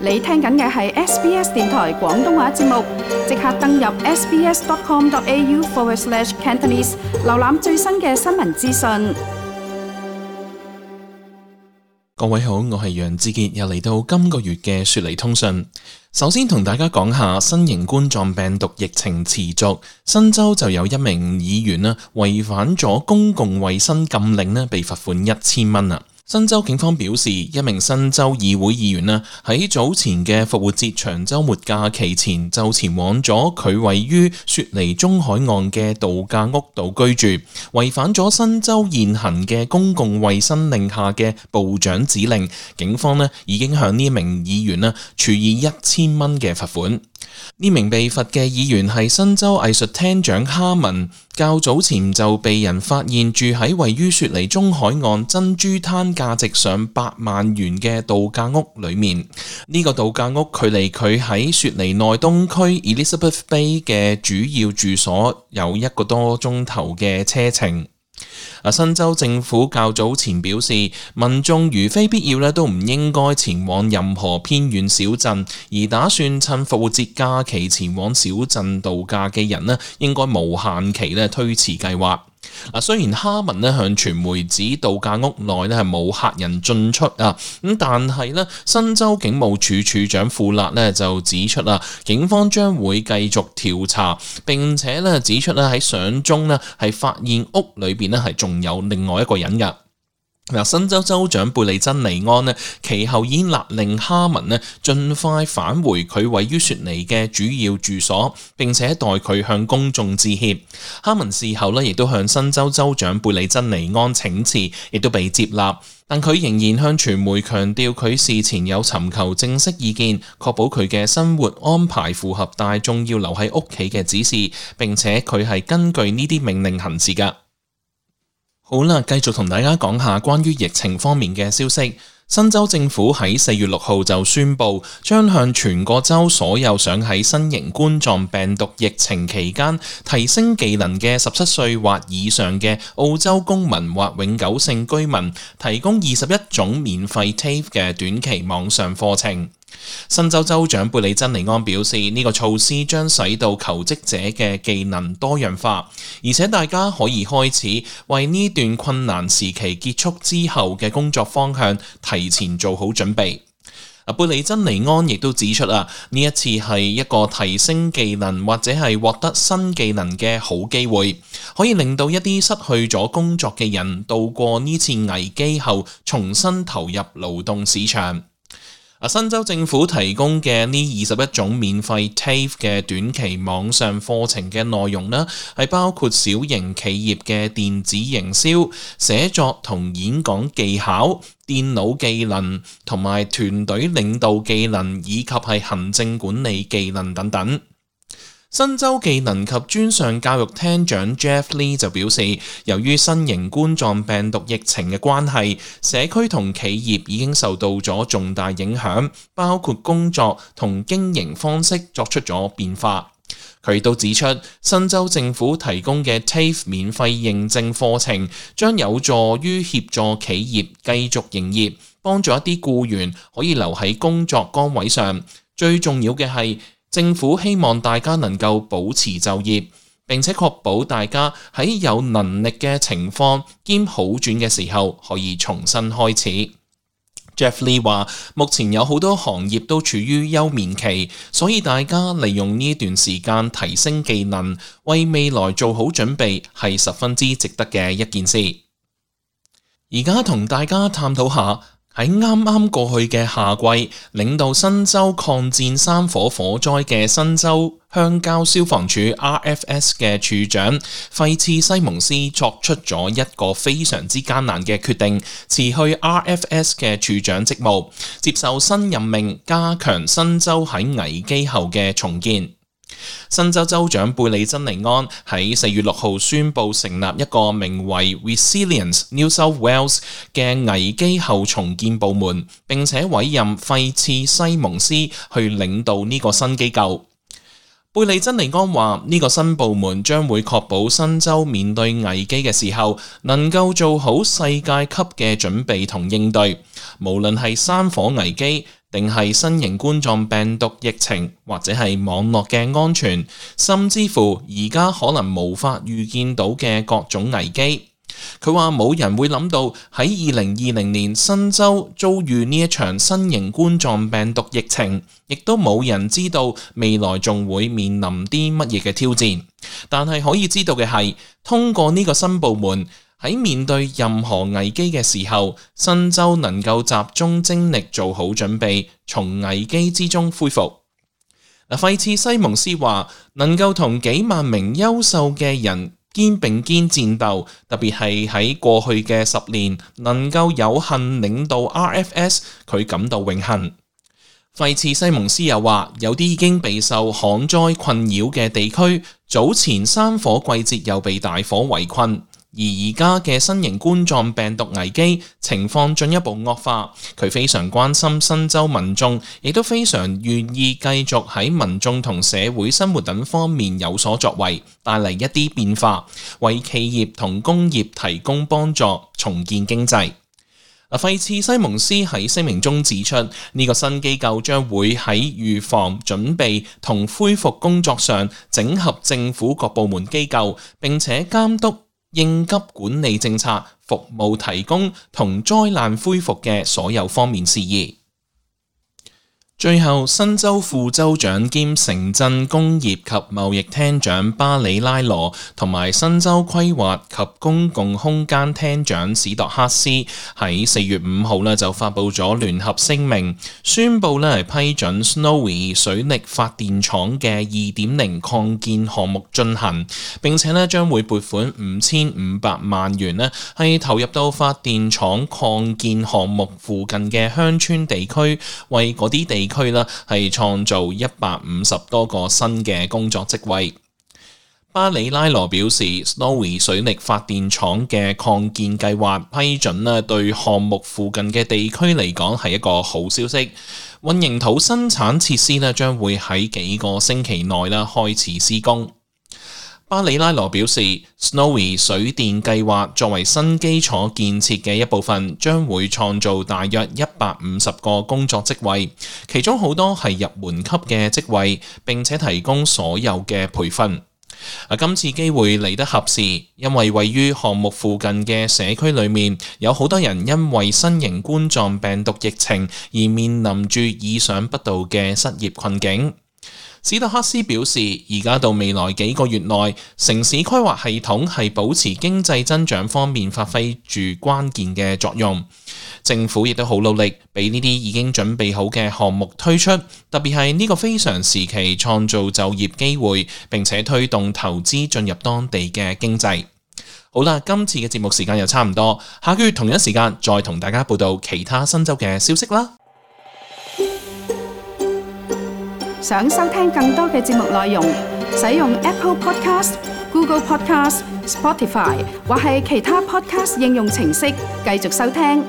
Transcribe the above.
你聽緊嘅係 SBS 電台廣東話節目，即刻登入 sbs.com.au/Cantonese 瀏覽最新嘅新聞資訊。各位好，我係楊志傑，又嚟到今個月嘅雪梨通訊。首先同大家講下新型冠狀病毒疫情持續，新州就有一名議員違反咗公共衛生禁令被罰款1000蚊。新州警方表示，一名新州議會議員喺早前嘅復活節長週末假期前就前往咗佢位於雪梨中海岸嘅度假屋度居住，違反咗新州現行嘅公共衛生令下嘅部長指令。警方已經向呢名議員處以1000蚊嘅罰款。呢名被罰嘅議員係新州藝術廳長哈文，較早前就被人發現住喺位於雪梨中海岸珍珠灘價值上8萬元嘅度假屋裏面。呢個度假屋距離佢喺雪梨內東區 Elizabeth Bay 嘅主要住所有1個多鐘頭嘅車程。新州政府較早前表示，民眾如非必要都唔應該前往任何偏遠小鎮，而打算趁復活節假期前往小鎮度假嘅人應該無限期推遲計劃。雖然哈文向傳媒指度假屋內係冇客人進出但係新州警務處處長庫勒就指出警方將會繼續調查，並且指出喺相中係發現屋裏邊係仲有另外一個人㗎。新州州長貝利珍尼安其後已經勒令哈文盡快返回佢位於雪梨嘅主要住所，並且代佢向公眾致歉。哈文事後亦都向新州州長貝利珍尼安請辭，亦都被接納，但佢仍然向傳媒強調佢事前有尋求正式意見，確保佢嘅生活安排符合大眾要留喺屋企嘅指示，並且佢係根據呢啲命令行事㗎。好啦，繼續同大家講下關於疫情方面嘅消息。新州政府喺4月6號就宣布，將向全個州所有想喺新型冠狀病毒疫情期間提升技能嘅17歲或以上嘅澳洲公民或永久性居民，提供21種免費 TAFE 嘅短期網上課程。新州州長貝利珍尼安表示，呢個措施將使到求職者嘅技能多樣化，而且大家可以開始為呢段困難時期結束之後嘅工作方向提前做好準備。貝利珍尼安亦都指出呢一次係一個提升技能或者係獲得新技能嘅好機會，可以令到一啲失去咗工作嘅人度過呢次危機後重新投入勞動市場。新州政府提供嘅呢21種免費 TAFE 嘅短期網上課程嘅內容係包括小型企業嘅電子營銷、寫作同演講技巧、電腦技能同埋團隊領導技能，以及係行政管理技能等等。新州技能及專上教育廳長 Jeff Lee 就表示，由於新型冠狀病毒疫情嘅關係，社區同企業已經受到咗重大影響，包括工作同經營方式作出咗變化。佢亦都指出，新州政府提供嘅 TAFE 免費認證課程將有助於協助企業繼續營業，幫助一啲僱員可以留喺工作崗位上。最重要嘅係，政府希望大家能夠保持就業，並且確保大家喺有能力嘅情況兼好轉嘅時候可以重新開始。Jeff Lee 話，目前有好多行業都處於休眠期，所以大家利用呢段時間提升技能，為未來做好準備係十分之值得嘅一件事。而家同大家探討下，喺啱啱過去嘅夏季，領導新州抗戰山火火災嘅新州鄉郊消防處 RFS 嘅處長費茨西蒙斯作出咗一個非常之艱難嘅決定，辭去 RFS 嘅處長職務，接受新任命，加強新州喺危機後嘅重建。新州州長貝利珍尼安喺4月6號宣布成立一個名為 Resilience New South Wales 嘅危機後重建部門，並且委任費茨西蒙斯去領導呢個新機構。貝利珍尼安話：呢個新部門將會確保新州面對危機嘅時候，能夠做好世界級嘅準備同應對，無論係山火危機，定係新型冠狀病毒疫情，或者係網絡嘅安全，甚至乎而家可能無法預見到嘅各種危機。佢話冇人會諗到喺2020年新州遭遇呢一場新型冠狀病毒疫情，亦都冇人知道未來仲會面臨啲乜嘢嘅挑戰。但係可以知道嘅係，通過呢個新部門喺面對任何危機嘅時候，新州能夠集中精力做好準備，從危機之中恢復。費茨西蒙斯話：能夠同幾萬名優秀嘅人肩並肩戰鬥，特別係喺過去嘅10年，能夠有幸領導 RFS， 佢感到榮幸。費茨西蒙斯又話：有啲已經備受旱災困擾嘅地區，早前山火季節又被大火圍困。而而家嘅新型冠狀病毒危機情況進一步惡化，佢非常關心新州民眾，亦都非常願意繼續喺民眾同社會生活等方面有所作為，帶嚟一啲變化，為企業同工業提供幫助，重建經濟。費茨西蒙斯喺聲明中指出，呢個新機構將會喺預防、準備同恢復工作上整合政府各部門機構，並且監督應急管理政策、服務提供同災難恢復嘅所有方面事宜。最後，新州副州長兼城鎮工業及貿易廳長巴里拉羅同埋新州規劃及公共空間廳長史度克斯喺4月5號就發布咗聯合聲明，宣布係批准 Snowy 水力發電廠嘅 2.0 擴建項目進行，並且將會撥款5500萬元係投入到發電廠擴建項目附近嘅鄉村地區，為嗰啲地區係創造150多個新嘅工作職位。巴里拉羅表示 ，Snowy 水力發電廠嘅擴建計劃批准對項目附近嘅地區嚟講係一個好消息。混凝土生產設施將會喺幾個星期內開始施工。巴里拉羅表示 ，Snowy 水電計劃作為新基礎建設嘅一部分，將會創造大約150個工作職位，其中好多係入門級嘅職位，並且提供所有嘅培訓。今次機會嚟得合時，因為位於項目附近嘅社區裏面，有好多人因為新型冠狀病毒疫情而面臨住意想不到嘅失業困境。史度克斯表示，而家到未來幾個月內，城市規劃系統係保持經濟增長方面發揮住關鍵嘅作用。政府亦都好努力，俾呢啲已經準備好嘅項目推出，特別係呢個非常時期創造就業機會，並且推動投資進入當地嘅經濟。好啦，今次嘅節目時間又差唔多，下個月同一時間再同大家報道其他新州嘅消息啦。想收聽更多嘅節目內容，使用 Apple Podcast、Google Podcast、Spotify 或係其他 Podcast 應用程式繼續收聽。